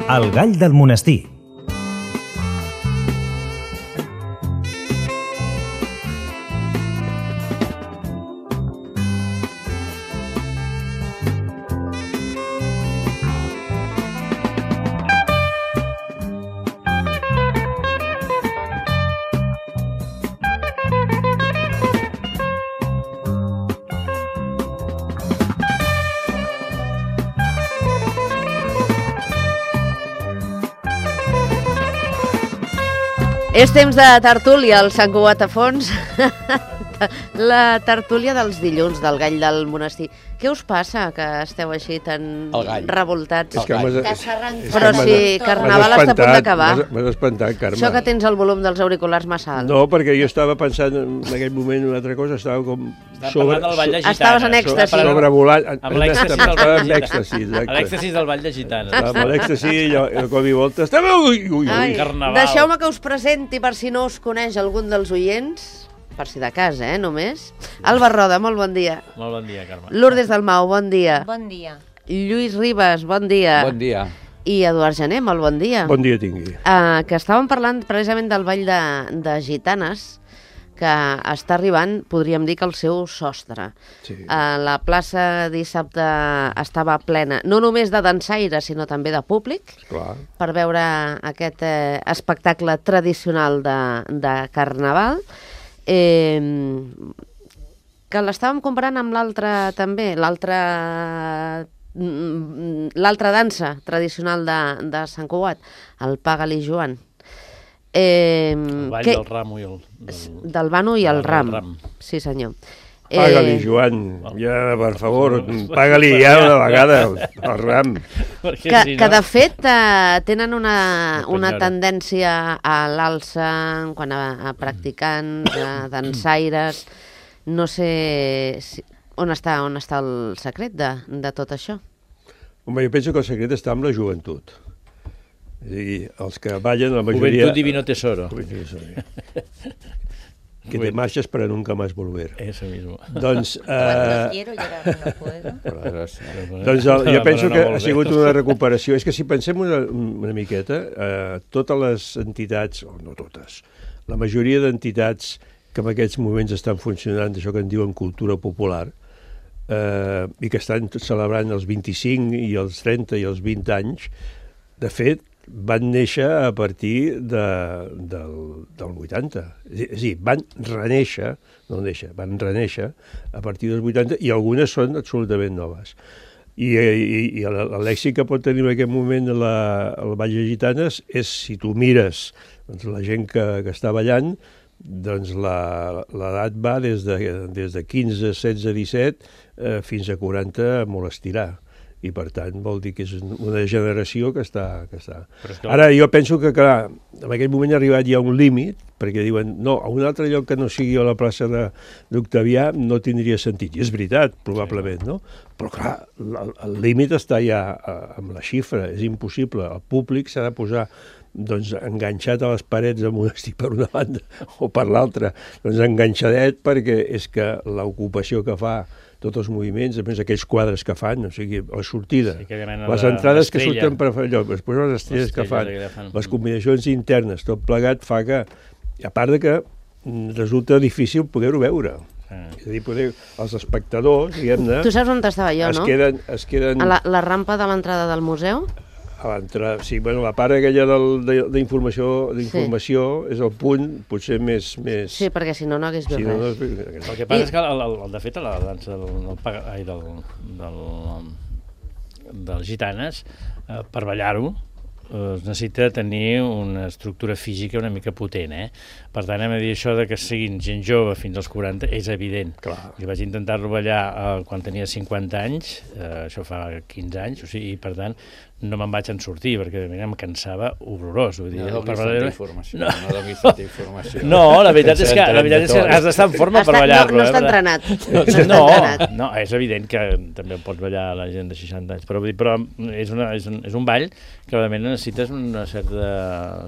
El gall del monestir. És temps de tertúlia, el Sant Cugat a fons. La tertúlia dels dilluns del gall del monestir. Què us passa, que esteu així tan revoltats? Però si Carnaval està a punt d'acabar. M'has espantat, Carme. Això que tens el volum dels auriculars massa alt. No, perquè jo estava pensant en aquell moment una altra cosa, estava com Estaves en èxtasi. Sobrevolant. Amb l'èxtasi del Vall de Gitanes. L'èxtasi del Vall de Gitanes. Amb l'èxtasi i el cop i volta. Carnaval. Deixeu-me que us presenti, per si no us coneix algun dels oients, per si de cas, només. Alba Roda, molt bon dia. Molt bon dia, Carme. Lourdes Dalmau, bon dia. Bon dia. Lluís Ribas, bon dia. Bon dia. I Eduard Gené, molt bon dia. Bon dia tingui. Que estàvem parlant precisament del Vall de Gitanes, que està arribant, podríem dir que al seu sostre. Sí. La plaça dissabte estava plena, no només de dansaires, sinó també de públic, Clar. per veure aquest espectacle tradicional de Carnaval, que l'estàvem comparant amb l'altre també, l'altra dansa tradicional de Sant Cugat, el Paga-li Joan. El ball del ramo i el... Del Bano i el ram. Sí, senyor. Paga-li, Joan, ja, per favor, paga-li ja una vegada el ram. Que de fet tenen una tendència a l'alça quan a practicants, a dansaires. No sé on està el secret de tot això. Home, jo penso que el secret està amb la joventut. És a dir, els que ballen, la majoria... Juventud divino tesoro. Que te marxes para nunca más volver. Eso mismo. Doncs, Cuando quiero llegar no puedo. doncs jo penso que ha sigut una recuperació. És que si pensem una miqueta, totes les entitats, o no totes, la majoria d'entitats que en aquests moments estan funcionant, d'això que en diuen cultura popular, i que estan celebrant els 25 i els 30 i els 20 anys, de fet, van néixer a partir del 80. És a dir, van reneixer, no néixer, van reneixer a partir dels 80 i algunes són absolutament noves. I l'èxit que pot tenir en aquest moment el Vall de Gitanes és, si tu mires la gent que està ballant, doncs l'edat va des de 15, 16, 17 fins a 40 molt estirar. I, per tant, vol dir que és una generació que està... Ara, jo penso que, clar, en aquell moment ha arribat ja un límit, perquè diuen, no, a un altre lloc que no sigui a la plaça d'Octavià no tindria sentit. I és veritat, probablement, no? Però, clar, el límit està ja amb la xifra, és impossible. El públic s'ha de posar doncs, enganxat a les parets del monestir per una banda o per l'altra, doncs enganxadet, perquè és que l'ocupació que fa tots els moviments, a més aquells quadres que fan, o sigui, la sortida, les entrades que surten per allò, després les estrelles que fan, les combinacions internes, tot plegat fa que, a part de que resulta difícil poder-ho veure. És a dir, els espectadors, diguem-ne... Tu saps on estava jo, no? Es queden... A la rampa de l'entrada del museu? A l'entrada, sí, bueno, la part aquella d'informació és el punt potser més... Sí, perquè si no hagués vist res. El que passa és que, de fet, a la dansa dels gitanes, per ballar-ho, es necessita tenir una estructura física una mica potent, Per tant, hem de dir això de que siguin gent jove fins als 40 és evident. Clar. Jo vaig intentar-lo ballar quan tenia 50 anys, això fa 15 anys, o sigui, i per tant no me'n vaig en sortir, perquè em cansava horrorós. Vull dir, no donis tanta informació. No, la veritat és que has d'estar en forma per ballar-lo. No està entrenat. No, és evident que també pots ballar la gent de 60 anys, però és un ball que realment necessites una certa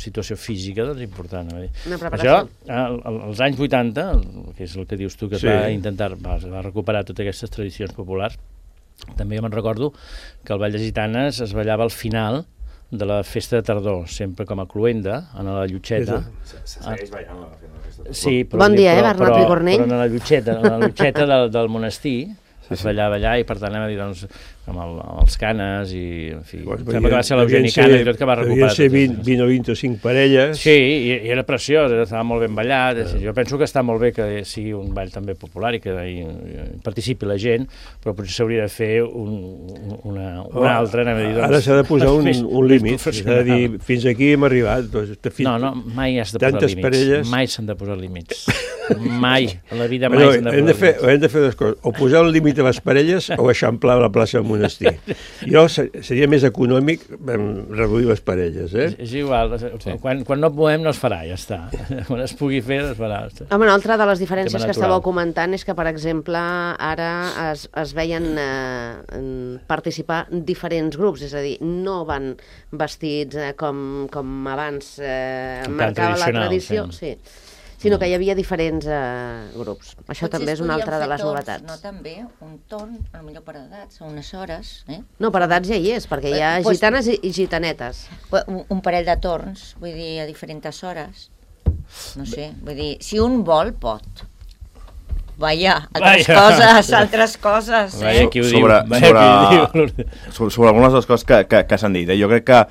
situació física important. Una preparació. Això, als anys 80, que és el que dius tu, que va recuperar totes aquestes tradicions populars, també me'n recordo que el Ball de Gitanes es ballava al final de la festa de tardor, sempre com a cluenda, en la Llotxeta. Se segueix ballant la festa de tardor. Sí, però, bon dia, Bernat Picornell. Però en la Llotxeta del monestir, es ballar i per tant anem a dir, doncs, amb els canes i, en fi, sembla que va ser l'Eugeni Cana i tot que va recuperar. Devien ser 20 o 25 parelles. Sí, i era preciós, estava molt ben ballat. Jo penso que està molt bé que sigui un ball també popular i que hi participi la gent, però potser s'hauria de fer una altra, anem a dir. Ara s'ha de posar un límit, s'ha de dir, fins aquí hem arribat. No, mai has de posar límits. Mai s'han de posar límits. Mai, a la vida mai s'han de posar límits. Hem de fer dues coses, o posar un límit a les parelles o eixamplar la plaça del monestir. Jo seria més econòmic reduir les parelles, És igual, quan no podem no es farà, ja està. Quan es pugui fer, es farà. Home, una altra de les diferències que estàveu comentant és que, per exemple, ara es veien participar diferents grups, és a dir, no van vestits com abans marcava la tradició, sí, sinó que hi havia diferents grups. Això també és una altra de les novetats. No, també un torn, potser per edats, a unes hores. No, per edats ja hi és, perquè hi ha gitanes i gitanetes. Un parell de torns, vull dir, a diferents hores. No sé, vull dir, si un vol, pot. Vaja, altres coses. Vaja, qui ho diu. Sobre algunes de les coses que s'han dit. Jo crec que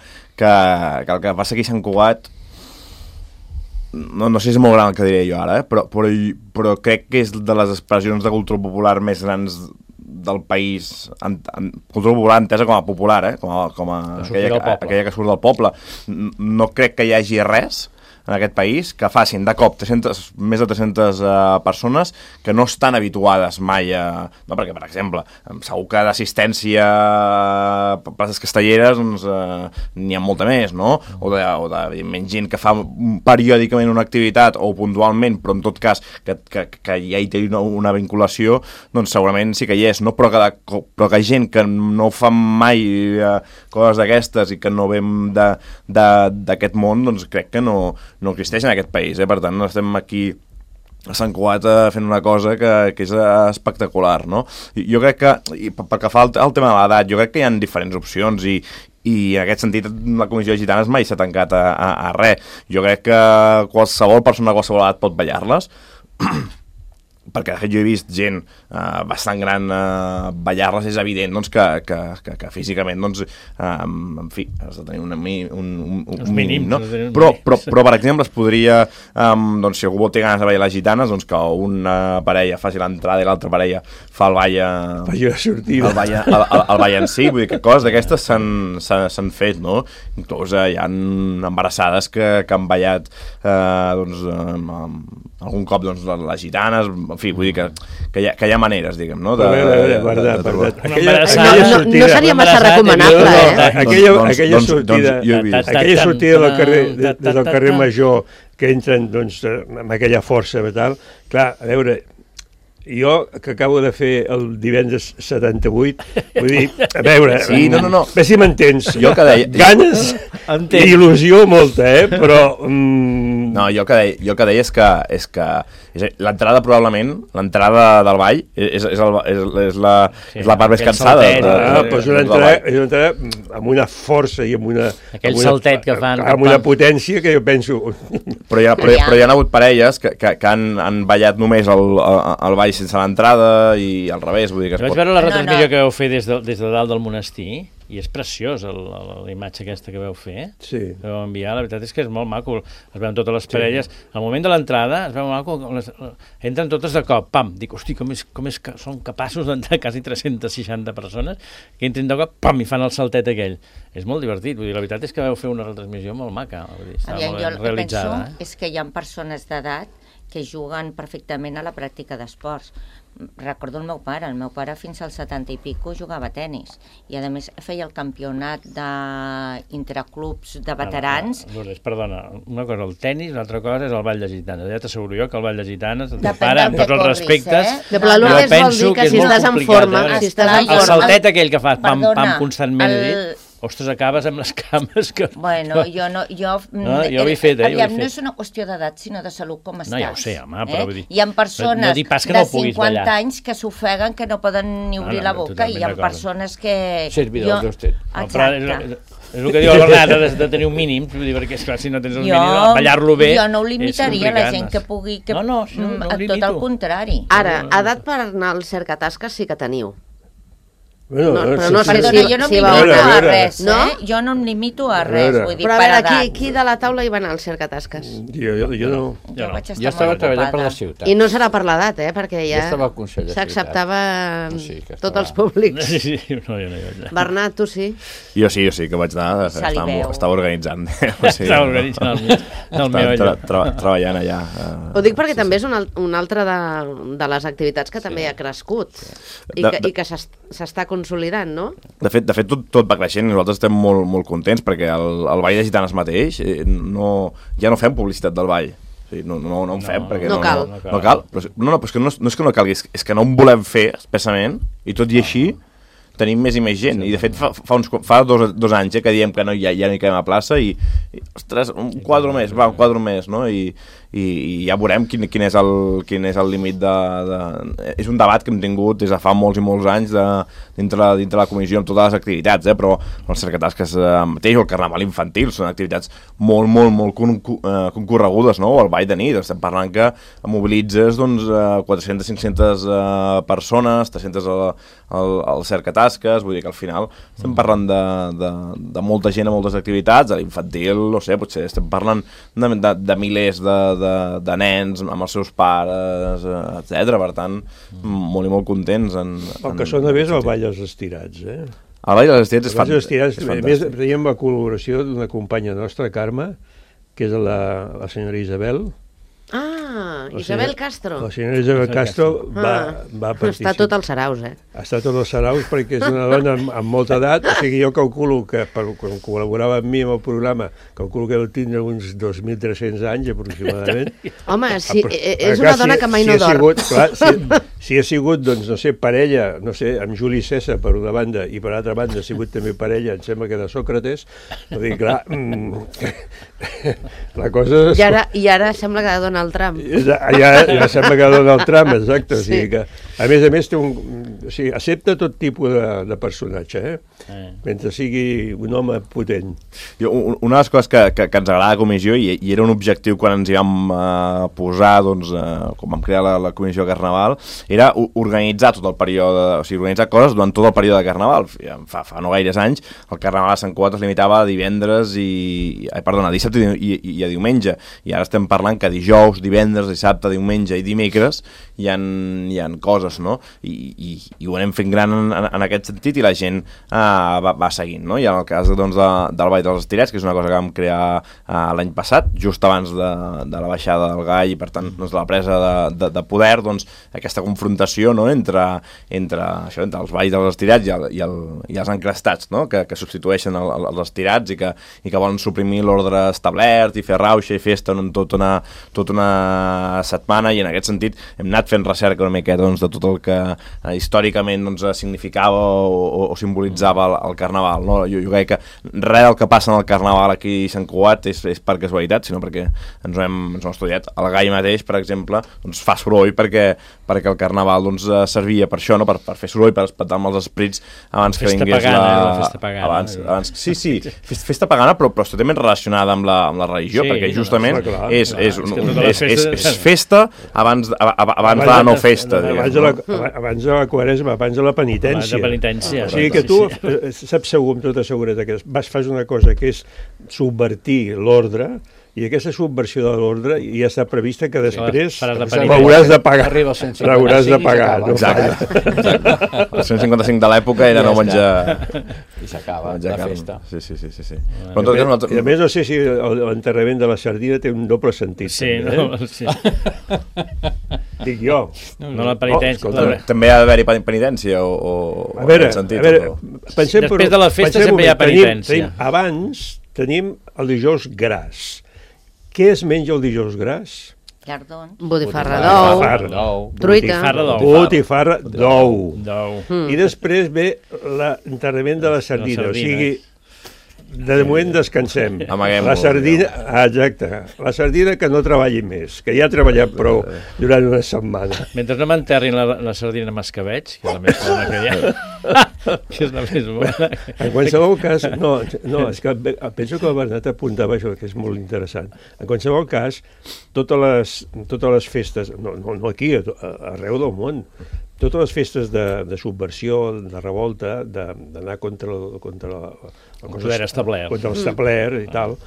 el que passa aquí a Sant Cugat, no sé si és molt gran el que diré jo ara, però crec que és de les expressions de cultura popular més grans del país, cultura popular entesa com a popular, com a aquella que surt del poble. No crec que hi hagi res en aquest país que facin de cop més de 300 persones que no estan habituades mai a... No, perquè, per exemple, segur que d'assistència a places castelleres doncs, n'hi ha molta més, no? O de menys gent que fa periòdicament una activitat o puntualment, però en tot cas que ja hi té una vinculació, doncs segurament sí que hi és, no? Però que gent que no fa mai coses d'aquestes i que no vem d'aquest món, doncs crec que no existeix en aquest país, Per tant, estem aquí a Sant Cugat fent una cosa que és espectacular, no? Jo crec que, pel que fa al tema de l'edat, jo crec que hi ha diferents opcions i en aquest sentit la Comissió de Gitanes mai s'ha tancat a res. Jo crec que qualsevol persona de qualsevol edat pot ballar-les, perquè de fet jo he vist gent bastant gran ballar-les, és evident doncs, que físicament doncs, en fi, has de tenir un mínim, no? Però per exemple es podria doncs, si algú vol tenir ganes de ballar les gitanes, doncs que una parella faci l'entrada i l'altra parella fa el ball en si, vull dir que coses d'aquestes s'han fet, no? Inclús hi ha embarassades que han ballat doncs, algun cop doncs, les gitanes, en fi, vull dir que hi ha maneres, diguem, no? No seria massa recomanable, Aquella sortida del carrer Major, que entren amb aquella força i tal, clar, a veure, jo, que acabo de fer el divendres 78, vull dir, a veure, sí, no. Bé si m'entens, jo que deia, ganes i il·lusió molta, però... No, jo que deia és que l'entrada probablement, l'entrada del ball és la part més cansada. Però és una entrada amb una força i amb una... Aquell saltet que fan... Amb una potència que jo penso... Però hi ha hagut parelles que han ballat només el ball sense l'entrada i al revés, vull dir que... Vaig veure la retransmissió que vau fer des de dalt del monestir i és preciós la imatge aquesta que vau fer, sí. Que vau enviar, la veritat és que és molt maco, es veuen totes les parelles, al moment de l'entrada es veu maco, entren totes de cop, pam, dic, hosti, com és que són capaços d'entrar quasi 360 persones, que entren de cop, pam, i fan el saltet aquell, és molt divertit, vull dir, la veritat és que vau fer una retransmissió molt maca, vull dir, està molt ben realitzada. Jo el que penso és que hi ha persones d'edat que juguen perfectament a la pràctica d'esports. Recordo el meu pare fins als 70 i pico jugava a tenis i a més feia el campionat d'intraclubs de veterans. Perdona, una cosa el tenis, una altra cosa és el ball de gitanes. Ja t'asseguro jo que el ball de gitanes, el teu pare, amb tots els respectes, jo penso que si estàs en forma, el saltet aquell que fas pam, pam, constantment. ostres, acabes amb les cames que... Bueno, jo no... Jo ho he fet, aviam, no és una qüestió d'edat, sinó de salut, com estàs. No, ja ho sé, home, però vull dir... Hi ha persones no de 50 anys que s'ofeguen, que no poden ni obrir la boca, i hi ha persones que... Servidor d'usted. Exacte. És el que diu el Bernat, de tenir un mínim, perquè esclar, si no tens un mínim, ballar-lo bé... Jo no ho limitaria, la gent que pugui... No tot el contrari. Ara, edat per anar al cercatasques sí que teniu. Bueno, però no sé Perdona, jo no em limito a res, Jo no em limito a res, vull dir, però a per veure, edat. qui de la taula hi va anar al cercatasques? Jo no. Jo vaig estar Jo estava molt treballant per ocupada. la ciutat. I no serà per l'edat, perquè Jo ja estava al Consell de s'acceptava Ciutat. tots els públics. Sí, no, jo no hi vaig anar. Bernat, tu sí? Jo sí que vaig anar, estava organitzant. Estava organitzant el meu allò. Treballant allà. Ho dic perquè també és una altra de les activitats que també ha crescut i que s'està consolidant, no? De fet tot va creixent i nosaltres estem molt contents perquè el Ball de Gitanes mateix ja no fem publicitat del ball. O sigui, no en fem perquè no cal. No cal. Però és que no és que no calgui, és que no en volem fer expressament i tot i així tenim més i més gent, i de fet fa dos anys que diem que ja no hi quedem a plaça i ostres, un quadre més, no? I ja veurem quin és el límit és un debat que hem tingut des de fa molts i molts anys dintre la comissió amb totes les activitats, però els cercatasques mateix o el carnaval infantil són activitats molt concorregudes, no? O el ball de nit, estem parlant que mobilitzes 400-500 persones, 300 al cercatasques, vull dir que al final estem parlant de molta gent a moltes activitats, a l'infantil, no sé, potser estem parlant de milers de nens amb els seus pares, etc. Per tant, molt i molt contents. El que sona bé és el ball dels estirats, El ball dels estirats és fantàstic. A més, teníem la col·laboració d'una companya nostra, Carme, que és la senyora Isabel. Isabel Castro. La senyora Isabel Castro va participar. Està tot als saraus, Està tot als saraus perquè és una dona amb molta edat, o sigui, jo calculo que quan col·laborava amb mi amb el programa, calculo que deu tindre uns 2.300 anys aproximadament. Home, és una dona que mai no dorm. Si ha sigut, doncs, no sé, parella, no sé, amb Juli César per una banda i per altra banda ha sigut també parella, em sembla que de Sòcrates, vull dir, clar, la cosa... I ara sembla que ha de donar el tram. Ja sembla que dona el tram, exacte. O sigui que, a més té accepta tot tipus de personatge, mentre sigui un home potent. Una de les coses que ens agrada a la comissió, i era un objectiu quan ens hi vam posar, doncs, quan vam crear la comissió de Carnaval, era organitzar tot el període, o sigui, organitzar coses durant tot el període de Carnaval. Fa no gaires anys, el Carnaval a Sant Cugat es limitava a divendres a dissabte i a diumenge, i ara estem parlant que dijous, divendres, dissabte, diumenge i dimecres hi ha coses, no? I ho anem fent gran en aquest sentit, i la gent va seguint, no? I en el cas doncs, del Ball dels Estirats, que és una cosa que vam crear l'any passat, just abans de la baixada del Gall, i per tant doncs, la presa de poder, doncs, aquesta confrontació, no? entre els Balls dels Estirats i els encrestats, no? que substitueixen els estirats i que volen suprimir l'ordre establert i fer rauxa i festa tota una setmana, i en aquest sentit hem anat fent recerca una miqueta doncs, de tot el que històricament doncs, significava o simbolitzava el Carnaval, no? Jo crec que res del que passa en el Carnaval aquí a Sant Cugat és per casualitat, sinó perquè ens ho hem estudiat. El Gall mateix, per exemple, doncs, fa soroll perquè el Carnaval doncs, servia per això, no? per fer soroll, per espantar amb els esprits abans que vingués la festa pagana. Sí, festa pagana, però totalment relacionada amb la religió, perquè justament és festa abans de la no festa. Abans de la Quaresma, abans de la penitència. O sigui que tu saps segur, amb tota seguretat, que fas una cosa que és subvertir l'ordre, i aquesta subversió de l'ordre ja està prevista que després l'hauràs de pagar. L'hauràs de pagar. Exacte. El 155 de l'època era no menjar... I s'acaba la festa. Sí. I a més no sé si l'enterrament de la sardina té un doble sentit. Sí. Dic jo. No la penitència. També ha d'haver-hi penitència o... A veure, després de la festa sempre hi ha penitència. Abans tenim el dijous gras. Què es menja el dijous gras? Llardons. Botifarra d'ou. Truita. Botifarra d'ou. I després ve l'enterrament de la sardina. O sigui, de moment descansem. Amaguem-ho. La sardina, exacte, la sardina que no treballi més, que ja ha treballat prou durant una setmana. Mentre no m'enterrin la sardina mascaveig, que és la més bona que hi ha, que és la més bona. En qualsevol cas, no, és que penso que el Bernat apuntava això, que és molt interessant. En qualsevol cas, totes les festes, no aquí, arreu del món, totes les festes de subversió, de revolta, d'anar contra l'establert i tal,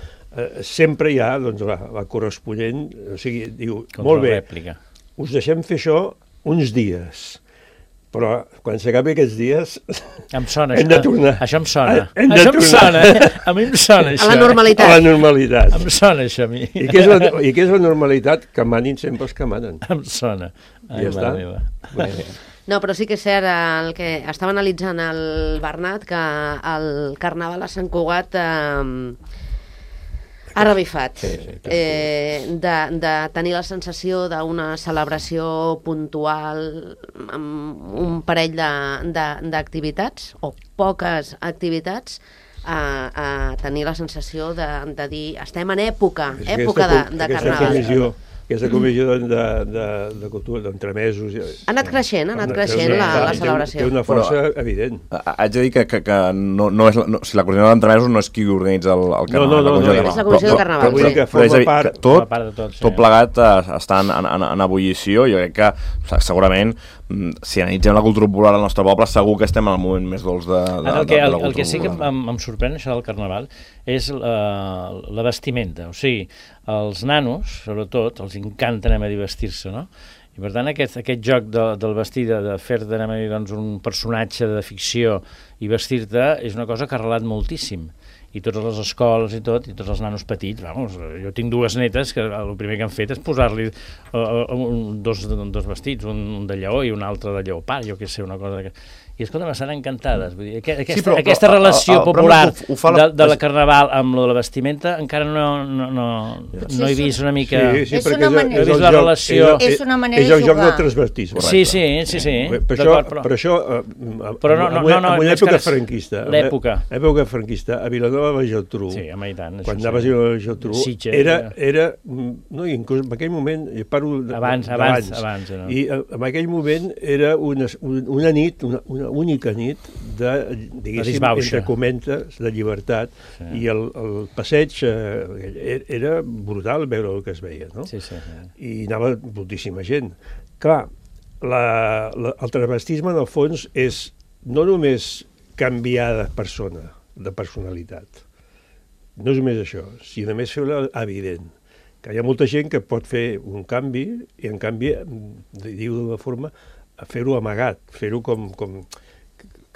sempre hi ha la corresponent, o sigui, diu, molt bé, us deixem fer això uns dies, però quan s'acabi aquests dies em sona, hem de tornar. Això em sona. Això em sona. A mi em sona això. A la normalitat. A la normalitat. Em sona això a mi. I què és la normalitat? Que manin sempre els que manen. Em sona. I ja està. No, però sí que és cert el que estava analitzant el Bernat, que el Carnaval a Sant Cugat ha revifat, de tenir la sensació d'una celebració puntual amb un parell d'activitats o poques activitats, a tenir la sensació de dir estem en època de Carnaval. Aquesta comissió de cultura, d'entremesos... Ha anat creixent la celebració. Té una força evident. Haig de dir que no és... Si la comissió d'entremesos no és qui organitza el Carnaval. No, és la comissió de Carnaval. Però que forma part... Tot plegat està en ebullició. Jo crec que segurament, si analitzem la cultura popular al nostre poble, segur que estem en el moment més dolç de la cultura popular. El que sí que em sorprèn, això del Carnaval, és la vestimenta. O sigui, els nanos, sobretot, els encanta anar a dir vestir-se, no? I per tant aquest joc del vestir, de fer-te anar a dir un personatge de ficció i vestir-te, és una cosa que ha arrelat moltíssim. I totes les escoles i tots els nanos petits, vamos, jo tinc dues netes que el primer que han fet és posar-li dos vestits, un de lleó i un altre de lleopard, jo què sé, una cosa que... I escolta, m'estan encantades. Vull dir, aquesta relació popular de la Carnaval amb la vestimenta encara no he vist una mica... Sí, perquè és la relació... És una manera de jugar. És el joc del transvestisme. Sí. Per això, en una època franquista, l'època franquista, a Vilanova i la Geltrú, quan anaves a Vilanova i la Geltrú, era... No, inclús en aquell moment, jo parlo d'abans, i en aquell moment era una nit, una única nit de, diguéssim, entre comentes, de llibertat, i el passeig era brutal veure el que es veia, no? I anava moltíssima gent. Clar, el transvestisme, en el fons, és no només canviar de persona, de personalitat, no és només això, sinó més fer-ho evident, que hi ha molta gent que pot fer un canvi i, en canvi, diu d'una forma, fer-ho amagat, fer-ho com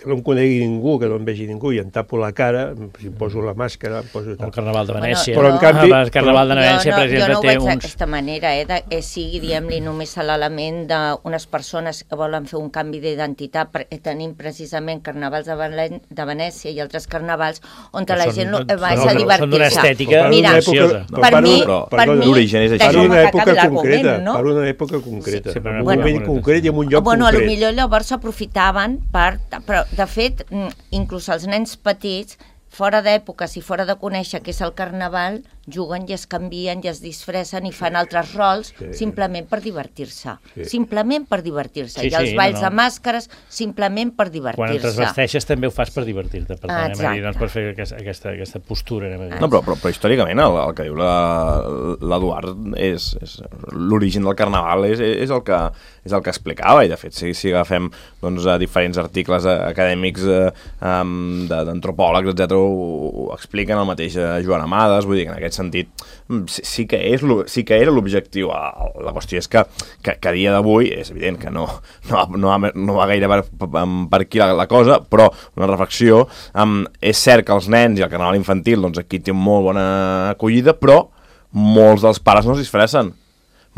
que no em conegui ningú, que no em vegi ningú, i em tapo la cara, si em poso la màscara, em poso... El Carnaval de Venècia. Però en canvi... El Carnaval de Venècia, per exemple, té uns... Jo no ho veig d'aquesta manera, sigui, diguem-li, només l'element d'unes persones que volen fer un canvi d'identitat, perquè tenim precisament carnavals de Venècia i altres carnavals on la gent va a divertir-se. Són d'una estètica deliciosa. Per mi, l'origen és això. Per una època concreta, per una època concreta, en un moment concret i en un lloc concret. Bueno, potser llavors s'aprofitaven per... De fet, inclús els nens petits, fora d'èpoques i fora de conèixer què és el Carnaval, juguen i es canvien i es disfressen i fan altres rols simplement per divertir-se. Simplement per divertir-se. I els balls de màscares simplement per divertir-se. Quan et transvesteixes també ho fas per divertir-te, per tant, per fer aquesta postura. No, però històricament el que diu l'Eduard és l'origen del Carnaval és el que explicava, i de fet si agafem diferents articles acadèmics d'antropòlegs, etc., ho expliquen el mateix Joan Amades, vull dir que en aquest sentit sí que era l'objectiu. La qüestió és que a dia d'avui és evident que no va gaire per aquí la cosa, però una reflexió, és cert que els nens i el Carnaval infantil aquí té molt bona acollida, però molts dels pares no es disfressen.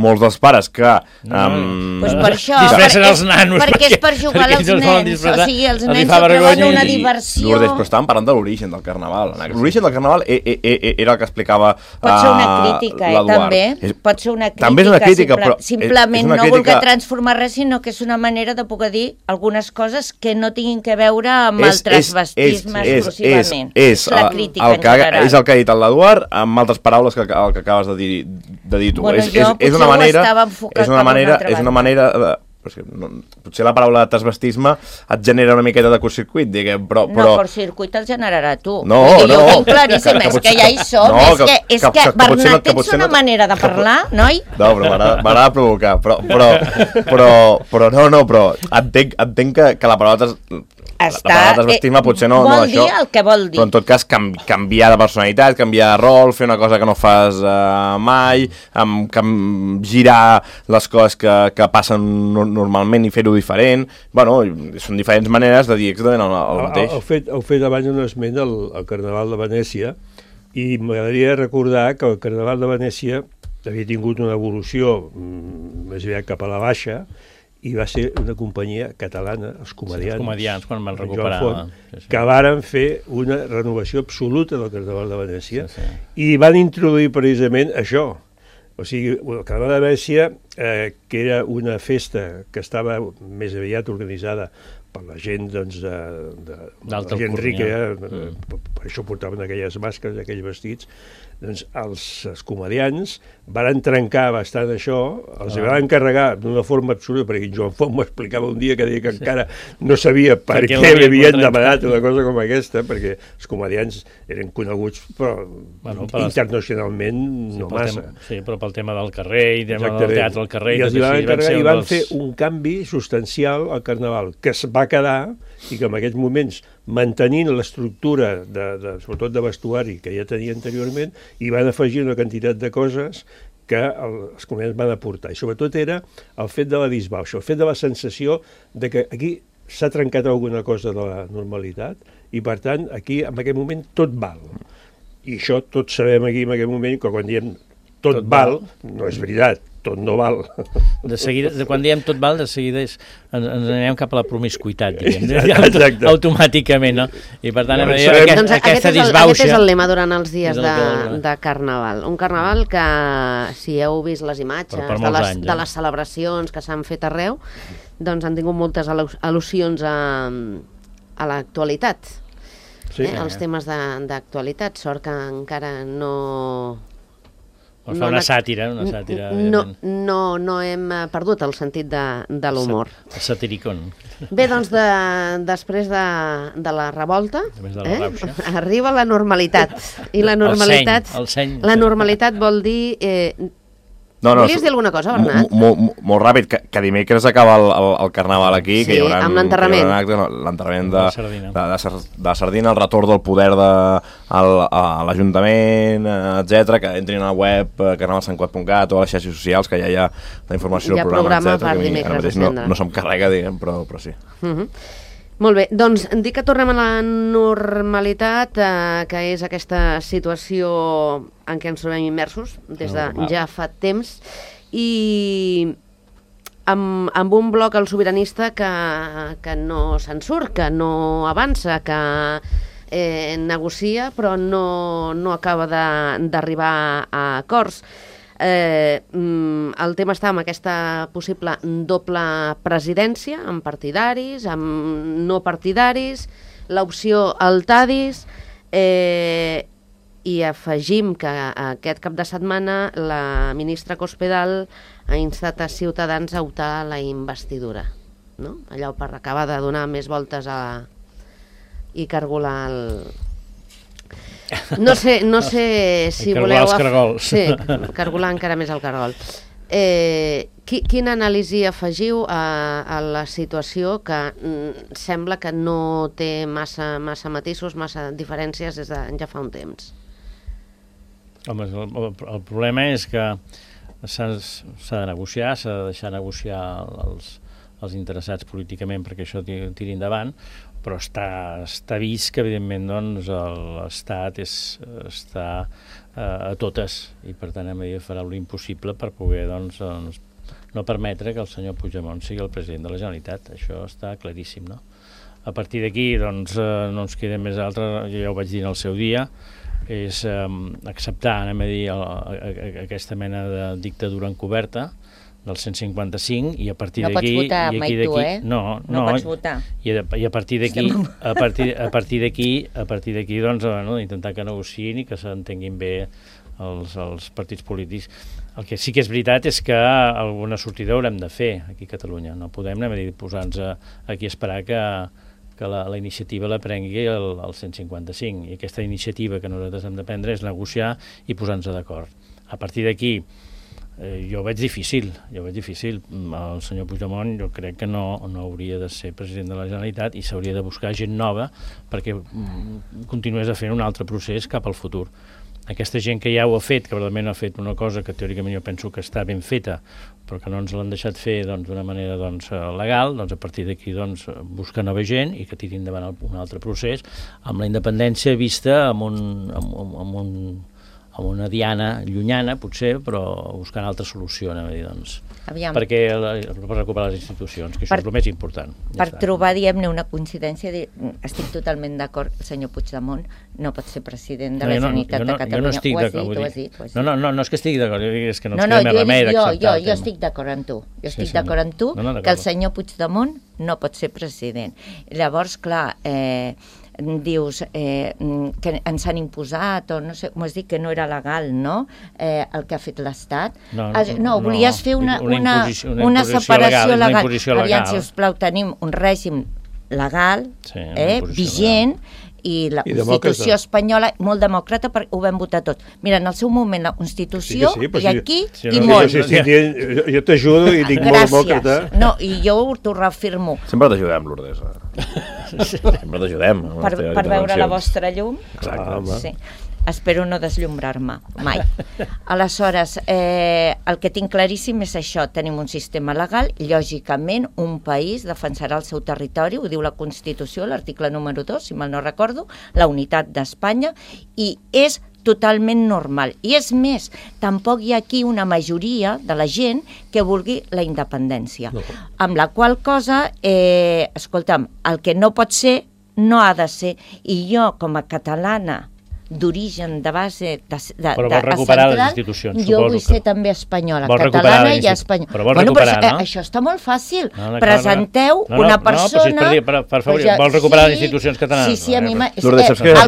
molts dels pares que... Pues per això, disfressen els nanos. Perquè és per jugar als nens, o sigui, els nens se troben una diversió. Lourdes, però estàvem parlant de l'origen del carnaval. L'origen del carnaval era el que explicava pot ser una crítica, també. Pot ser una crítica. També és una crítica, però... Simplement no voler transformar res, sinó que és una manera de poder dir algunes coses que no tinguin que veure amb el transvestisme exclusivament. És la crítica en general. És el que ha dit l'Eduard, amb altres paraules que el que acabes de dir tu. Bueno, jo potser ho estava enfocat per una altra banda. Potser la paraula transvestisme et genera una miqueta de curtcircuit, diguem, però... No, curtcircuit el generarà tu. No. Jo ho tinc claríssim, és que ja hi som. És que Bernat, tens una manera de parlar, noi? No, però m'agrada provocar. Però entenc que la paraula transvestisme potser no vol això, dir el que vol dir. però en tot cas canviar de personalitat, canviar de rol, fer una cosa que no fas mai, girar les coses que passen normalment i fer-ho diferent. Bueno, són diferents maneres de dir exactament el mateix. Heu fet abans un esment al Carnaval de Venècia i m'agradaria recordar que el Carnaval de Venècia havia tingut una evolució més aviat cap a la baixa i va ser una companyia catalana, els Comedians, quan van recuperar, que varen fer una renovació absoluta del Carnaval de Venècia i van introduir precisament això. O sigui, el Carnaval de Venècia, que era una festa que estava més aviat organitzada per la gent, doncs, la gent rica, per això portaven aquelles màscares, aquells vestits, doncs els comedians van trencar bastant això, els van encarregar d'una forma absoluta, perquè Joan Font m'ho explicava un dia que deia que encara no sabia per què li havien demanat una cosa com aquesta, perquè els comedians eren coneguts, però internacionalment no massa. Sí, però pel tema del carrer i del teatre al carrer. I van fer un canvi substancial al Carnaval, que es va quedar i que en aquests moments, mantenint l'estructura, sobretot de vestuari, que ja tenia anteriorment, i van afegir una quantitat de coses que els comediants van aportar. I sobretot era el fet de la disbauxa, el fet de la sensació de que aquí s'ha trencat alguna cosa de la normalitat i, per tant, aquí, en aquest moment, tot val. I això tots sabem aquí, en aquest moment, que quan diem tot val, no és veritat. Tot no val. De seguida, quan diem tot val, de seguida ens anem cap a la promiscuitat, diguem. Exacte. Automàticament, no? I per tant, aquesta disbauxa... Aquest és el lema durant els dies de Carnaval. Un Carnaval que, si heu vist les imatges de les celebracions que s'han fet arreu, doncs han tingut moltes al·lusions a l'actualitat. Els temes d'actualitat. Sort que encara no... Fa una sàtira, No hem perdut el sentit de l'humor. El satiricón. Bé, doncs, després de la revolta, arriba la normalitat. I la normalitat... El seny. La normalitat vol dir... Volies dir alguna cosa, Bernat? Molt ràpid, que dimecres acaba el Carnaval aquí, que hi haurà amb l'enterrament. L'enterrament de Sardina, el retorn del poder a l'Ajuntament, etc, que entrin a la web carnavalsantcuat.cat o a les xarxes socials, que ja hi ha la informació del programa, etc. Per dimecres no se'm carrega, diguem, però sí. Molt bé, doncs dic que tornem a la normalitat, que és aquesta situació en què ens trobem immersos des de ja fa temps, i amb un bloc al sobiranista que no se'n surt, que no avança, que negocia però no acaba d'arribar a acords. El tema està amb aquesta possible doble presidència, amb partidaris, amb no partidaris, l'opció al TADIS, i afegim que aquest cap de setmana la ministra Cospedal ha instat a Ciutadans a optar a la investidura, no? Allò per acabar de donar més voltes i cargolar el... No sé si voleu... Els cargols. Sí, cargolar encara més el cargol. Quina anàlisi afegiu a la situació que sembla que no té massa matisos, massa diferències des de ja fa un temps? Home, el problema és que s'ha de negociar, s'ha de deixar negociar els interessats políticament perquè això tiri endavant, però està vist que, evidentment, doncs, l'Estat està a totes, i per tant farà l'impossible per poder doncs, no permetre que el senyor Puigdemont sigui el president de la Generalitat. Això està claríssim, no? A partir d'aquí, doncs, no ens queda més altre, jo ja ho vaig dir en el seu dia, és acceptar, aquesta mena de dictadura encoberta del 155, i a partir d'aquí... No pots votar mai tu, eh? No pots votar. I a partir d'aquí, doncs, intentar que negociïn i que s'entenguin bé els partits polítics. El que sí que és veritat és que alguna sortida haurem de fer aquí a Catalunya. No podem posar-nos aquí a esperar que la iniciativa la prengui el 155, i aquesta iniciativa que nosaltres hem de prendre és negociar i posar-nos d'acord. A partir d'aquí, jo ho veig difícil. El senyor Puigdemont jo crec que no hauria de ser president de la Generalitat i s'hauria de buscar gent nova perquè continués a fer un altre procés cap al futur. Aquesta gent que ja ho ha fet, que realment ha fet una cosa que teòricament jo penso que està ben feta, però que no ens l'han deixat fer d'una manera legal, doncs a partir d'aquí buscar nova gent i que tiri endavant un altre procés amb la independència vista amb una diana llunyana, potser, però buscant altra solució, per recuperar les institucions, que això és el més important. Per trobar, diguem-ne, una coincidència, estic totalment d'acord, el senyor Puigdemont no pot ser president de la Generalitat de Catalunya. Jo no estic d'acord. Ho has dit. No és que estigui d'acord, és que no ens queda més remei d'acceptar. Jo estic d'acord amb tu. Que el senyor Puigdemont no pot ser president. Llavors, clar, dius que ens han imposat, o no sé, m'ho has dit que no era legal, no? El que ha fet l'Estat. No, volies fer una separació legal. Aviam, si us plau, tenim un règim legal, vigent, i la Constitució espanyola, molt demòcrata, perquè ho vam votar tot. Mira, en el seu moment la Constitució, i aquí, i molt. Jo t'ajudo i dic molt demòcrata. No, i jo t'ho reafirmo. Sempre t'ajudem, Lourdes. Sempre t'ajudem. Per veure la vostra llum. Exacte. Sí. Espero no desllumrar-me, mai. Aleshores, el que tinc claríssim és això, tenim un sistema legal, lògicament un país defensarà el seu territori, ho diu la Constitució, l'article número 2, si mal no recordo, la unitat d'Espanya, i és totalment normal. I és més, tampoc hi ha aquí una majoria de la gent que vulgui la independència. No. Amb la qual cosa, escolta'm, el que no pot ser, no ha de ser. I jo, com a catalana, d'origen, de base, però vol recuperar les institucions, suposo. Jo vull ser també espanyola, catalana i espanyola. Però vol recuperar, no? Això està molt fàcil. Presenteu una persona... Per favor, vol recuperar les institucions catalanes. Sí, a mi... El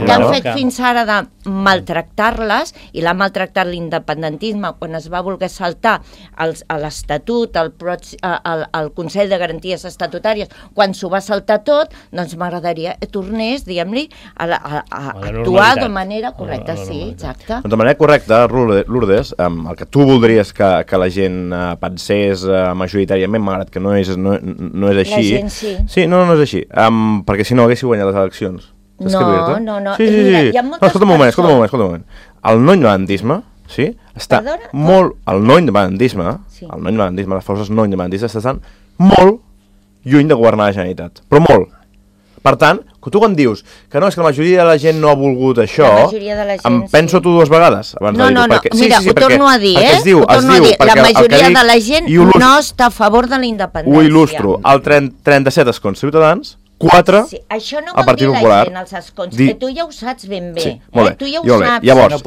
que han fet fins ara de maltractar-les, i l'ha maltractat l'independentisme quan es va voler saltar a l'Estatut, al Consell de Garanties Estatutàries, quan s'ho va saltar tot, doncs m'agradaria tornés, diguem-li, a actuar de manera correcta, sí, exacte. Doncs de manera correcta, Lourdes, el que tu voldries que la gent pensés majoritàriament, malgrat que no és així... La gent sí. Sí, no és així, perquè si no haguessi guanyat les eleccions. No. Sí. Hi ha moltes persones... Escolta un moment. El no independentisme, sí, està molt... El no independentisme, les forces no independentistes estan molt lluny de governar la Generalitat, però molt. Per tant, tu quan dius que no, és que la majoria de la gent no ha volgut això, em penso tu dues vegades. No, mira, ho torno a dir, la majoria de la gent no està a favor de la independència. Ho il·lustro, el 37 escons ciutadans, 4 al Partit Popular. Els escons, que tu ja ho saps ben bé. Tu ja ho saps. Llavors,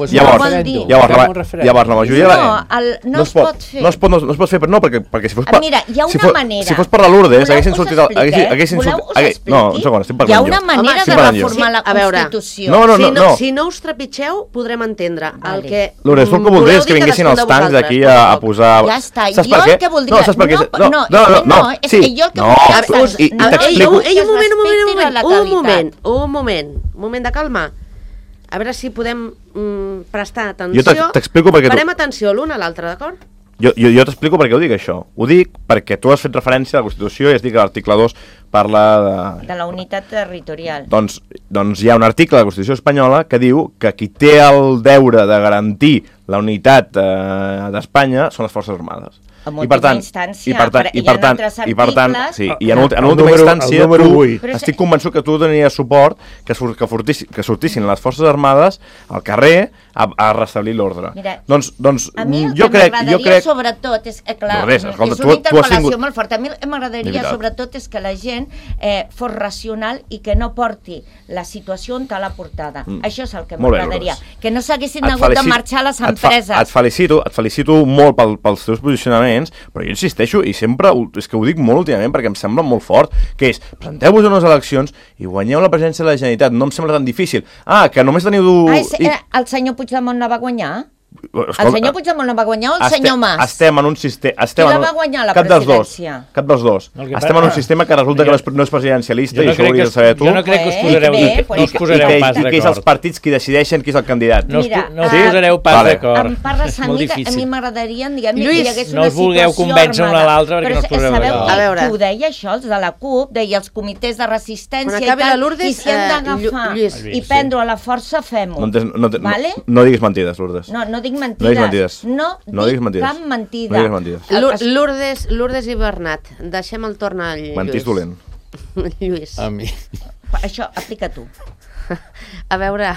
la majoria... No es pot fer. No es pot fer, però no, perquè si fos... Mira, hi ha una manera... Si fos per la Lourdes, haguessin sortit... Voleu us expliqui? No, un segon, estic parlant jo. Hi ha una manera de reformar la Constitució. No. Si no us trepitgeu, podrem entendre el que... Lourdes, tu el que voldries que vinguessin els tancs d'aquí a posar... Ja està, jo el que voldria... No, és que jo el que voldria... Un moment de calma. A veure si podem prestar atenció. Jo t'explico perquè... Farem atenció l'un a l'altre, d'acord? Jo t'explico per què ho dic, això. Ho dic perquè tu has fet referència a la Constitució i has dit que l'article 2 parla de la unitat territorial. Doncs hi ha un article de la Constitució espanyola que diu que qui té el deure de garantir la unitat d'Espanya són les Forces Armades. en última instància, i per tant, en última instància, estic convençut que tu donaries suport que sortissin les Forces Armades al carrer a restablir l'ordre. Doncs a mi el que m'agradaria sobretot és, clar, és una interpel·lació molt forta, a mi m'agradaria sobretot és que la gent fos racional i que no porti la situació on l'ha portada. Això és el que m'agradaria. Que no s'haguessin hagut de marxar les empreses. Et felicito molt pels teus posicionaments, però jo insisteixo, i sempre, és que ho dic molt últimament perquè em sembla molt fort, que és, presenteu-vos a unes eleccions i guanyeu la presidència de la Generalitat. No em sembla tan difícil. Que només teniu... El senyor Puigdemont la va guanyar? El senyor Puigdemont la va guanyar o el senyor Mas? Estem en un sistema... Qui la va guanyar la presidència? Cap dels dos. Estem en un sistema que resulta que no és presidencialista, i això ho hauries de saber tu. Jo no crec que us posareu pas d'acord. I que és els partits qui decideixen qui és el candidat. No us posareu pas d'acord. Em parles a mi, que a mi m'agradaria, diguem, que hi hagués no una us vulgueu convèncer un a l'altre perquè no us posareu d'acord. Sabeu qui ho deia això, els de la CUP, deia els comitès de resistència i tal, i si hem d'agafar i prendre a la força, fem-ho. No diguis mentides, Lourdes. No dic mentides. No dic cap mentida. Lourdes i Bernat, deixem el torn a Lluís. Mentís dolent. Lluís. A mi. Això, aplica tu. A veure,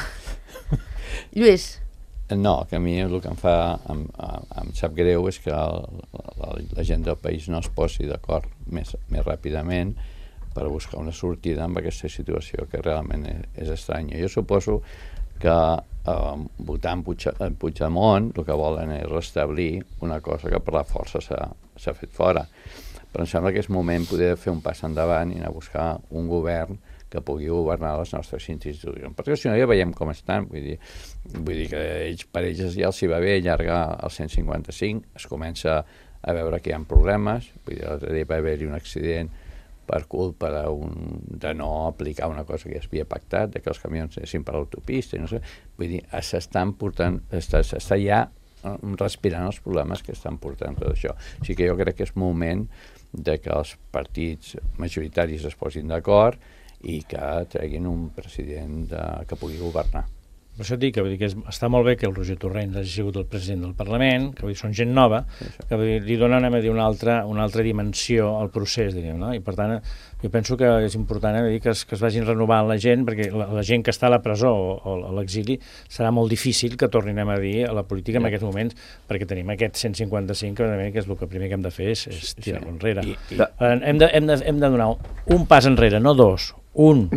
Lluís. No, que a mi el que em sap greu és que la gent del país no es posi d'acord més ràpidament per buscar una sortida amb aquesta situació que realment és estranya. Jo suposo que votant Puigdemont el que volen és restablir una cosa que per la força s'ha fet fora. Però em sembla que és moment poder fer un pas endavant i anar a buscar un govern que pugui governar les nostres institucions. Perquè si no ja veiem com estan, vull dir que per ells ja els hi va bé allargar el 155, es comença a veure que hi ha problemes, vull dir, l'altre dia va haver-hi un accident per culpa de no aplicar una cosa que ja s'havia pactat, que els camions anessin per l'autopista, no sé. Vull dir, s'està ja respirant els problemes que estan portant tot això. O sigui que jo crec que és moment de que els partits majoritaris es posin d'acord i que treguin un president que pugui governar. Per això et dic que està molt bé que el Roger Torrents hagi sigut el president del Parlament, que són gent nova, que li donen una altra dimensió al procés, diguem, no? I per tant, jo penso que és important que es vagin renovant la gent, perquè la gent que està a la presó o a l'exili serà molt difícil que tornin a dir a la política en aquests moments, perquè tenim aquest 155, que és el que primer que hem de fer és tirar-lo enrere. Hem de donar un pas enrere, no dos, un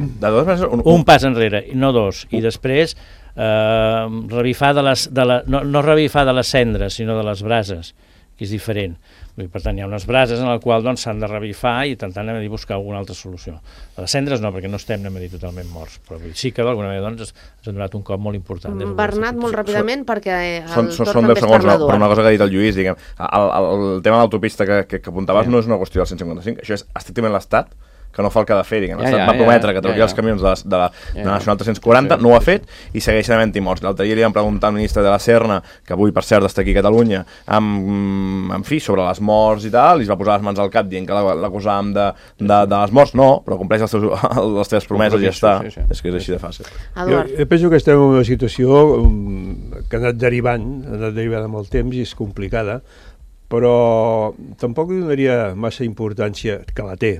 pas enrere, no dos, i després revifar no revifar de les cendres, sinó de les brases, que és diferent. Per tant, hi ha unes brases en les quals s'han de revifar i intentant buscar alguna altra solució. A les cendres no, perquè no estem totalment morts, però sí que d'alguna manera ens ha donat un cop molt important. Bernat, molt ràpidament, perquè el torn també és parlador. Per una cosa que ha dit el Lluís, diguem, el tema de l'autopista que apuntaves no és una qüestió del 155, això és estrictament l'Estat que no fa el que ha de fer, diguem. L'Estat va prometre que trauria els camions de la Nacional 340, no ho ha fet i segueixen havent-hi morts. L'altre dia li vam preguntar al ministre de la Serna, que avui per cert està aquí a Catalunya, en fi, sobre les morts i tal, i es va posar les mans al cap dient que l'acusàvem de les morts. No, però compleix les teves promeses i ja està. És que és així de fàcil. Jo penso que estem en una situació que ha anat derivant amb el temps i és complicada, però tampoc li donaria massa importància, que la té,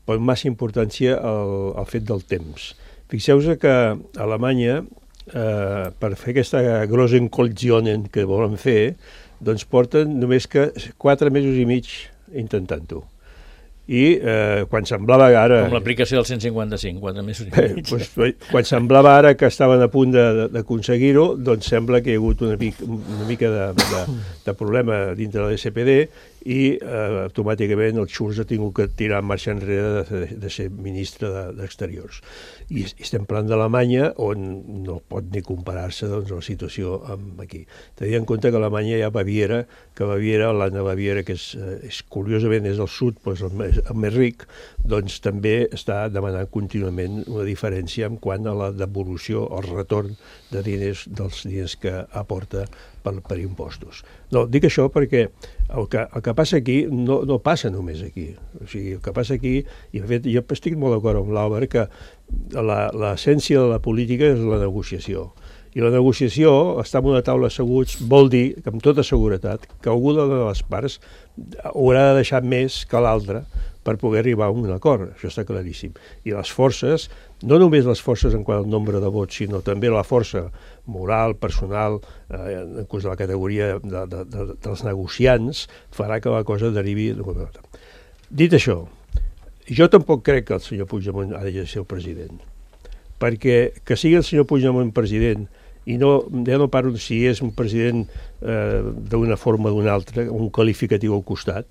però massa importància al fet del temps. Fixeu-vos que a Alemanya, per fer aquesta Großenkoalition que volen fer, doncs porten només que 4 mesos i mig intentant-ho. I quan semblava ara... Com l'aplicació del 155, 4 mesos i mig. Quan semblava ara que estaven a punt d'aconseguir-ho, doncs sembla que hi ha hagut una mica de problema dintre de l'SPD i automàticament el Schulz ha tingut que tirar en marxa enrere de ser ministre d'Exteriors. I estem parlant d'Alemanya, on no pot ni comparar-se la situació amb aquí. Tenint en compte que a Alemanya hi ha Baviera, l'Anna Baviera, que és curiosament és el sud, però és el més ric, doncs també està demanant contínuament una diferència en quant a la devolució, el retorn de diners dels diners que aporta per impostos. No, dic això perquè el que passa aquí no passa només aquí. O sigui, el que passa aquí, i de fet jo estic molt d'acord amb l'Àlvar, que l'essència de la política és la negociació. I la negociació, estar en una taula asseguts, vol dir, que amb tota seguretat, que alguna de les parts haurà de deixar més que l'altra per poder arribar a un acord, això està claríssim. I les forces, no només les forces en quant al nombre de vots, sinó també la força moral, personal, inclús de la categoria dels negociants, farà que la cosa derivi... Dit això, jo tampoc crec que el senyor Puigdemont ha de ser el president, perquè que sigui el senyor Puigdemont president, i ja no parlo si és un president d'una forma o d'una altra, un qualificatiu al costat,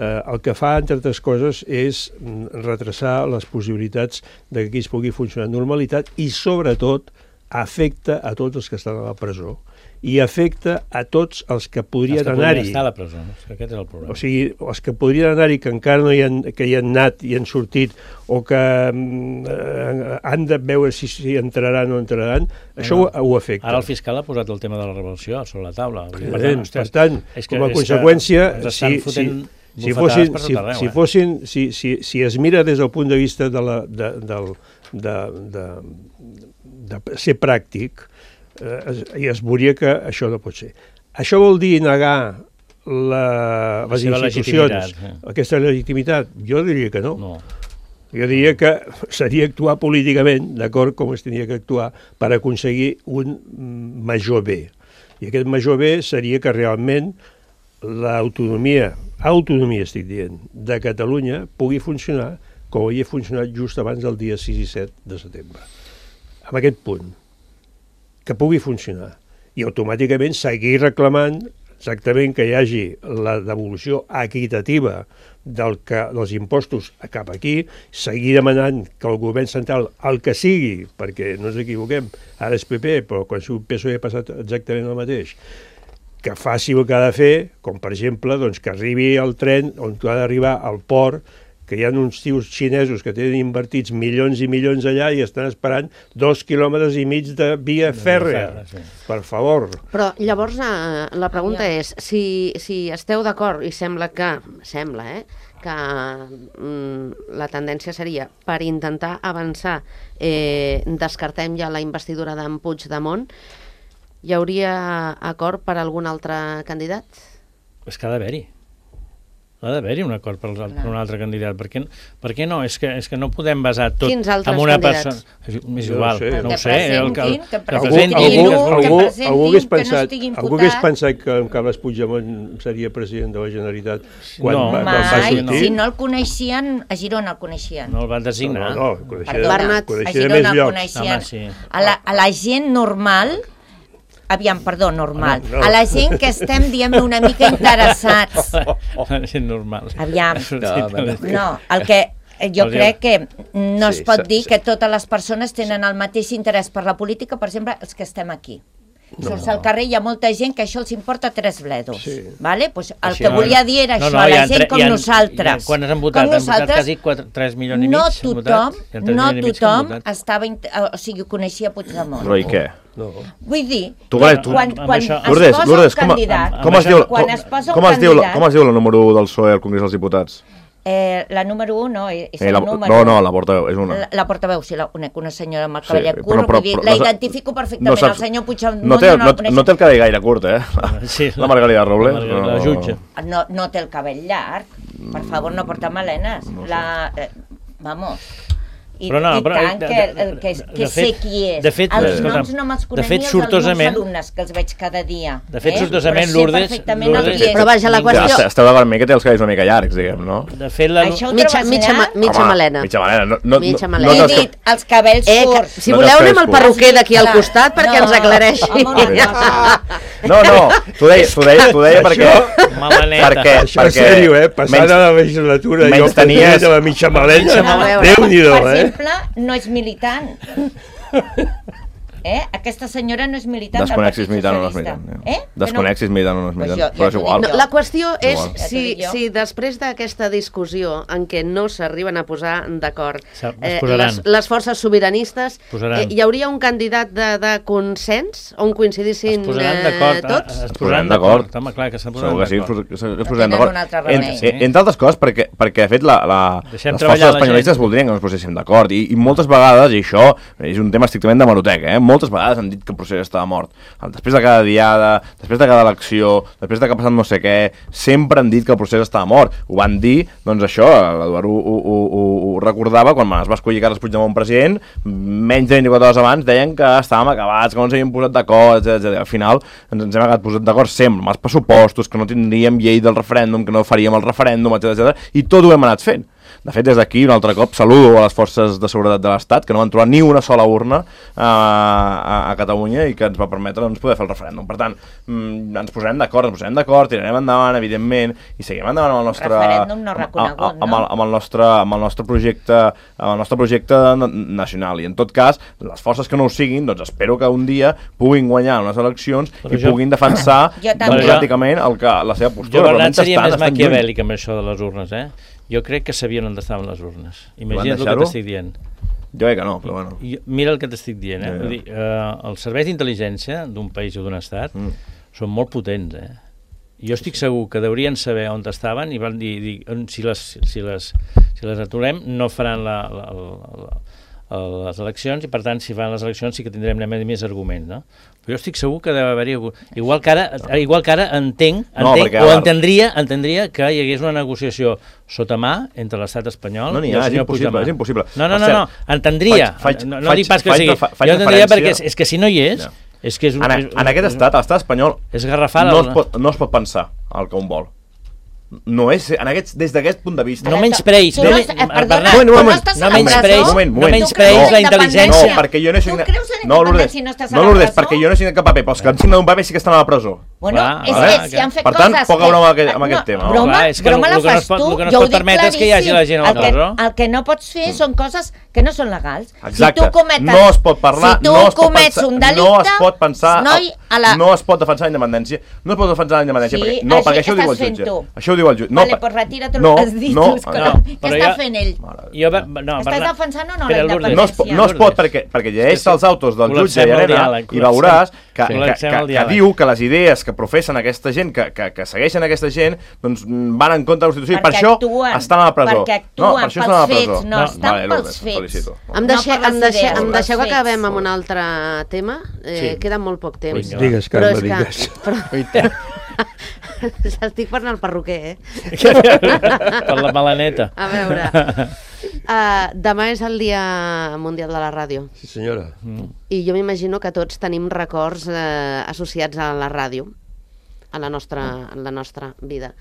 el que fa, entre altres coses, és retrasar les possibilitats de que aquí es pugui funcionar amb normalitat i, sobretot, afecta a tots els que estan a la presó i afecta a tots els que podrien anar-hi. Estar a la presó, no? Aquest és el problema. O sigui, els que podrien anar-hi, que encara no hi han anat i han sortit, o que han de veure si entraran o no entraran, això ho afecta. Ara el fiscal ha posat el tema de la revolució sobre la taula. Per tant, com a conseqüència, si es mira des del punt de vista de ser pràctic, i es veuria que això no pot ser. Això vol dir negar les institucions, aquesta legitimitat? Jo diria que no. Jo diria que seria actuar políticament, d'acord, com es tenia que actuar, per aconseguir un major bé. I aquest major bé seria que realment l'autonomia estic dient, de Catalunya pugui funcionar com havia funcionat just abans del dia 6 i 7 de setembre. En aquest punt, que pugui funcionar. I automàticament seguir reclamant exactament que hi hagi la devolució equitativa dels impostos cap aquí, seguir demanant que el govern central, el que sigui, perquè no ens equivoquem, ara és PP, però quan surt PSOE ha passat exactament el mateix, que faci el que ha de fer, com per exemple que arribi el tren on ha d'arribar al port, que hi ha uns tios xinesos que tenen invertits milions i milions allà i estan esperant 2,5 quilòmetres de via fèrrea. Per favor. Però llavors la pregunta és, si esteu d'acord, i sembla que la tendència seria per intentar avançar, descartem ja la investidura d'en Puigdemont, hi hauria acord per algun altre candidat? És que ha d'haver-hi. Ha d'haver-hi un acord per un altre candidat. Per què no? És que no podem basar tot en una persona. És igual, no ho sé. Algú hagués pensat que en Carles Puigdemont seria president de la Generalitat quan va sortir? Si no el coneixien, a Girona el coneixien. No el van designar. No, coneixia més llocs. A la gent normal... normal. A la gent que estem, diguem-ne, una mica interessats. La gent normal. No, el que jo crec que no es pot dir que totes les persones tenen el mateix interès per la política, per exemple, els que estem aquí. Surts al carrer, hi ha molta gent que això els importa 3 bledos. El que volia dir era això, a la gent com nosaltres. Quan han votat? Han votat quasi 3 milions i mig? No tothom coneixia Puigdemont. Però i què? Vull dir, quan es posa un candidat... Com es diu el número 1 del PSOE al Congrés dels Diputats? La número 1 no, és el número... No, la portaveu, és una. La portaveu, sí, una senyora amb el cavallet curt, vull dir, la identifico perfectament, el senyor Puigdemont no té el cabell gaire curt, la Margalida Robles. La jutge. No té el cabell llarg, per favor, no porta melenes. Vamos... I tant que sé qui és. Els noms no me'ls conec ni els alumnes que els veig cada dia. De fet, sortosament, Lourdes... Però vaja, la qüestió... Esteu d'acord amb mi que té els cabells una mica llargs, diguem, no? De fet, mitja melena. Mitja melena. No he dit els cabells curts. Si voleu, anem al perruquer d'aquí al costat perquè ens aclareixi. No, t'ho deia perquè... Això és sèrio, passant a la legislatura, jo tenia la mitja melena. Déu-n'hi-do, no és militant. Aquesta senyora no és militant. Desconec si és militant o no és militant. Desconec si és militant o no és militant, però és igual. La qüestió és si després d'aquesta discussió en què no s'arriben a posar d'acord les forces sobiranistes, hi hauria un candidat de consens on coincidissin tots? Es posaran d'acord. Segur que sí, es posaran d'acord. Entre altres coses, perquè de fet les forces espanyolistes voldrien que no ens poséssim d'acord, i moltes vegades, i això és un tema estrictament d'hemeroteca, moltes vegades han dit que el procés estava mort. Després de cada diada, després de cada elecció, després de que ha passat no sé què, sempre han dit que el procés estava mort. Ho van dir, doncs això, l'Eduard ho recordava, quan es va escollir Carles Puigdemont president, menys de 24 hores abans deien que estàvem acabats, que no ens havíem posat d'acord, etc. Al final ens hem acabat posat d'acord sempre, amb els pressupostos, que no tindríem llei del referèndum, que no faríem el referèndum, etc. I tot ho hem anat fent. De fet, des d'aquí, un altre cop, saludo a les forces de seguretat de l'Estat, que no van trobar ni una sola urna a Catalunya i que ens va permetre poder fer el referèndum. Per tant, ens posarem d'acord, tirarem endavant, evidentment, i seguim endavant amb el nostre... Referèndum no reconegut, no? Amb el nostre projecte nacional. I, en tot cas, les forces que no ho siguin, doncs espero que un dia puguin guanyar unes eleccions i puguin defensar democràticament la seva postura. Jo, Bernat, seria més maquiavèlic amb això de les urnes, Jo crec que sabien on estaven les urnes. Imagina't el que t'estic dient. Jo crec que no, però bueno. Mira el que t'estic dient, Vull dir, els serveis d'intel·ligència d'un país o d'un estat són molt potents, Jo estic segur que deurien saber on estaven i van dir si les aturem no faran les eleccions i, per tant, si fan les eleccions sí que tindrem més arguments, no? Però jo estic segur que deu haver-hi... Igual que ara entenc o entendria que hi hagués una negociació sota mà entre l'estat espanyol i el senyor Puigdemont. És impossible. No, entendria. No dic pas que sigui. Jo entendria perquè és que si no hi és... En aquest estat, l'estat espanyol, no es pot pensar el que un vol. No és, des d'aquest punt de vista... No menyspreis la intel·ligència. No, perquè jo no he signat... No, Lourdes, perquè jo no he signat cap paper, però els que han signat un paper sí que estan a la presó. Bueno, és que si han fet coses... Per tant, poca broma amb aquest tema. Broma la fas tu, jo ho dic claríssim. El que no pots fer són coses que no són legals. Exacte, no es pot parlar, no es pot pensar, no es pot defensar la independència, perquè això ho diu el jutge. Això ho diu el jutge. Vale, pues retira't el que has dit. Què està fent ell? Estàs defensant o no la independència? No es pot, perquè llegeix els autos del jutge i veuràs que diu que les idees que professen aquesta gent, que segueixen aquesta gent, doncs van en contra de la Constitució i per això estan a la presó. Perquè actuen pels fets, no estan pels fets. Em deixeu que acabem amb un altre tema? Queda molt poc temps. Digues, Carme, digues. Estic parlant al perruquer, Per la malaneta. A veure, demà és el Dia Mundial de la Ràdio. Sí, senyora. I jo m'imagino que tots tenim records associats a la ràdio, en la nostra vida.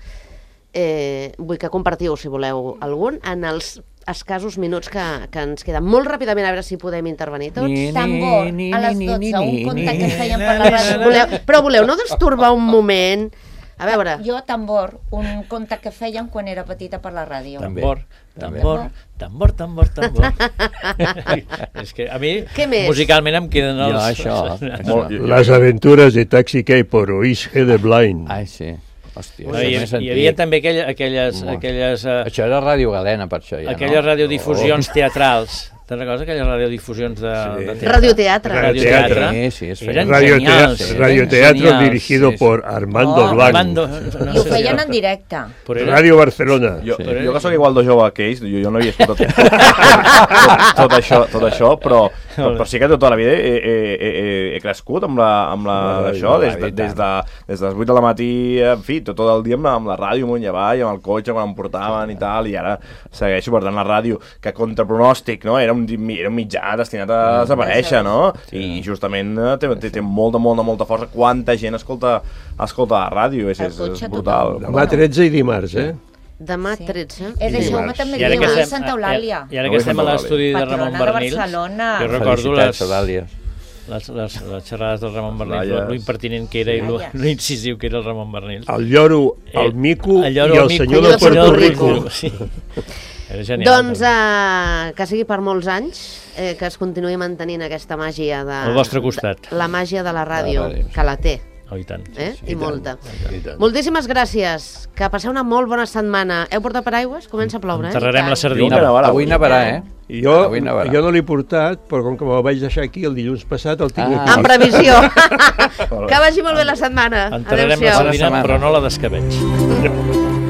Vull que compartiu, si voleu, algun, en els escassos minuts que ens queden. Molt ràpidament, a veure si podem intervenir tots. Tambor, a les 12, un conte que feien per la ràdio. Però voleu no destorbar un moment? A veure... Jo, Tambor, un conte que feien quan era petita per la ràdio. Tambor. És que a mi, musicalment, em queden els... Les aventures de Taxi Cab por Oisge de Blind. Ai, sí. Hòstia, hi havia també aquelles... Això era Ràdio Galena, per això. Aquelles radiodifusions teatrals. Te'n recordes aquelles radiodifusions de teatre? Radioteatre. Sí, eren genials. Radioteatro dirigido por Armando Blanc. I ho feien en directe. Ràdio Barcelona. Jo que soc igual de jove que ells, jo no havia escoltat tot això, però sí que tota la vida he crescut amb això, des de les 8 de la matí, en fi, tot el dia amb la ràdio amunt i avall, amb el cotxe quan em portaven i tal, i ara segueixo, per tant, la ràdio, que contra pronòstic, no?, era un mitjà destinat a desaparèixer, no? I justament té molta força. Quanta gent escolta la ràdio, és brutal. Demà 13 i dimarts, Demà 13. És això, també dimarts, Santa Eulàlia. I ara que estem a l'estudi de Ramon Bernil, jo recordo les xerrades del Ramon Bernil, lo impertinent que era i lo incisiu que era el Ramon Bernil. El lloro, el mico i el senyor de Puerto Rico. Doncs que sigui per molts anys, que es continuï mantenint aquesta màgia al vostre costat. La màgia de la ràdio, que la té. Oh, i tant. I molta. Moltíssimes gràcies. Que passeu una molt bona setmana. Heu portat paraigües? Comença a ploure, Enterrarem la sardina. Avui nevarà, Jo no l'he portat, però com que me'l vaig deixar aquí el dilluns passat, el tinc aquí. En previsió. Que vagi molt bé la setmana. Enterrarem la sardina, però no la d'escabetx.